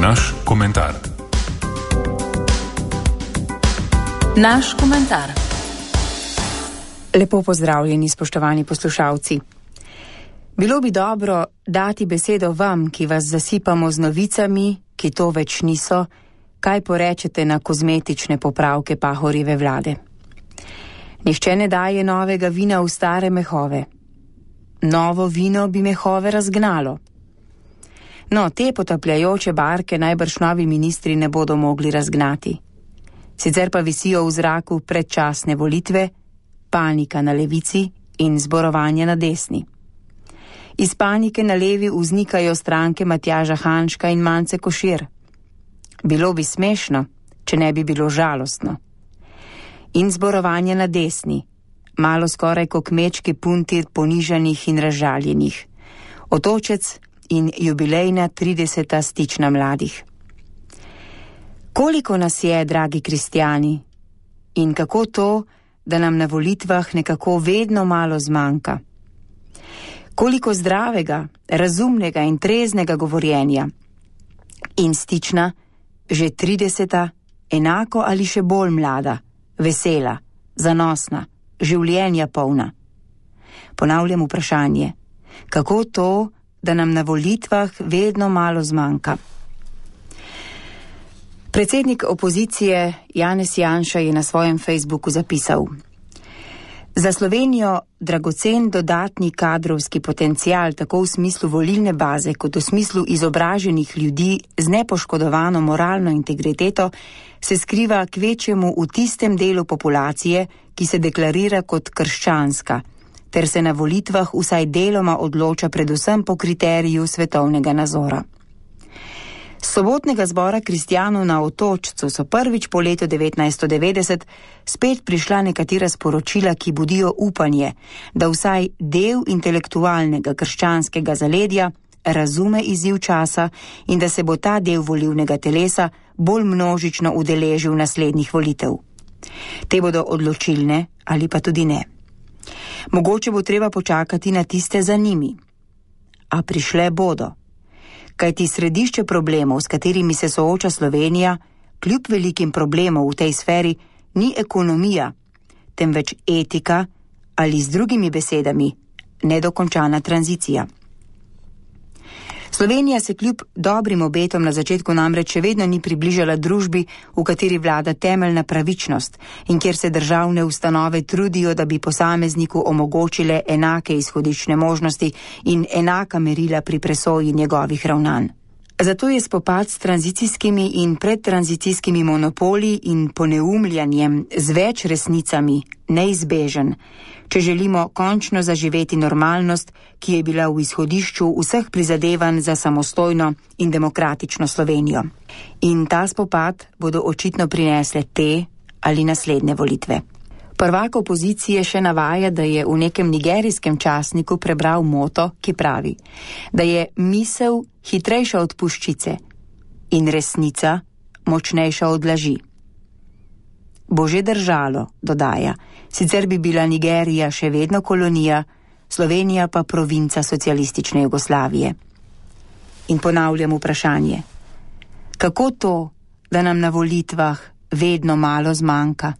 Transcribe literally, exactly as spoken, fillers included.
Naš komentar. Naš komentar. Lepo pozdravljeni, spoštovani poslušalci. Bilo bi dobro dati besedo vam, ki vas zasipamo z novicami, ki to več niso, kaj porečete na kozmetične popravke Pahorjeve vlade. Nihče ne daje novega vina v stare mehove. Novo vino bi mehove razgnalo. No, te potapljajoče barke najbrž novi ministri ne bodo mogli razgnati. Sicer pa visijo v zraku predčasne volitve, panika na levici in zborovanje na desni. Iz panike na levi vznikajo stranke Matjaža Hanžka in Mance Košir. Bilo bi smešno, če ne bi bilo žalostno. In zborovanje na desni, malo skoraj ko kmečki punti ponižanih in razžaljenih. Otočec in jubilejna trideseta stična mladih. Koliko nas je, dragi kristjani, in kako to, da nam na volitvah nekako vedno malo zmanjka? Koliko zdravega, razumnega in treznega govorjenja in stična, že trideseta, enako ali še bolj mlada, vesela, zanosna, življenja polna. Ponavljam vprašanje, kako to, da nam na volitvah vedno malo zmanjka? Predsednik opozicije Janez Janša je na svojem Facebooku zapisal: za Slovenijo dragocen dodatni kadrovski potencial tako v smislu volilne baze kot v smislu izobraženih ljudi z nepoškodovano moralno integriteto se skriva kvečjemu v tistem delu populacije, ki se deklarira kot krščanska, ter se na volitvah vsaj deloma odloča predvsem po kriteriju svetovnega nazora. S sobotnega zbora kristjanov na Otočcu so prvič po letu devetnajststo devetdeset spet prišla nekatera sporočila, ki budijo upanje, da vsaj del intelektualnega krščanskega zaledja razume izziv časa in da se bo ta del volilnega telesa bolj množično udeležil naslednjih volitev. Te bodo odločilne ali pa tudi ne. Mogoče bo treba počakati na tiste za njimi. A prišle bodo. Kajti središče problemov, s katerimi se sooča Slovenija, kljub velikim problemov v tej sferi, ni ekonomija, temveč etika ali z drugimi besedami nedokončana tranzicija. Slovenija se kljub dobrim obetom na začetku namreč še vedno ni približala družbi, v kateri vlada temeljna pravičnost in kjer se državne ustanove trudijo, da bi posamezniku omogočile enake izhodiščne možnosti in enaka merila pri presoji njegovih ravnanj. Zato je spopad s tranzicijskimi in predtranzicijskimi monopoli in poneumljanjem z več resnicami neizbežen, če želimo končno zaživeti normalnost, ki je bila v izhodišču vseh prizadevanj za samostojno in demokratično Slovenijo. In ta spopad bodo očitno prinesle te ali naslednje volitve. Prvak opozicije še navaja, da je v nekem nigerijskem časniku prebral moto, ki pravi, da je misel hitrejša od puščice in resnica močnejša od laži. Bo že držalo, dodaja, sicer bi bila Nigerija še vedno kolonija, Slovenija pa provinca socialistične Jugoslavije. In ponavljam vprašanje, kako to, da nam na volitvah vedno malo zmanjka?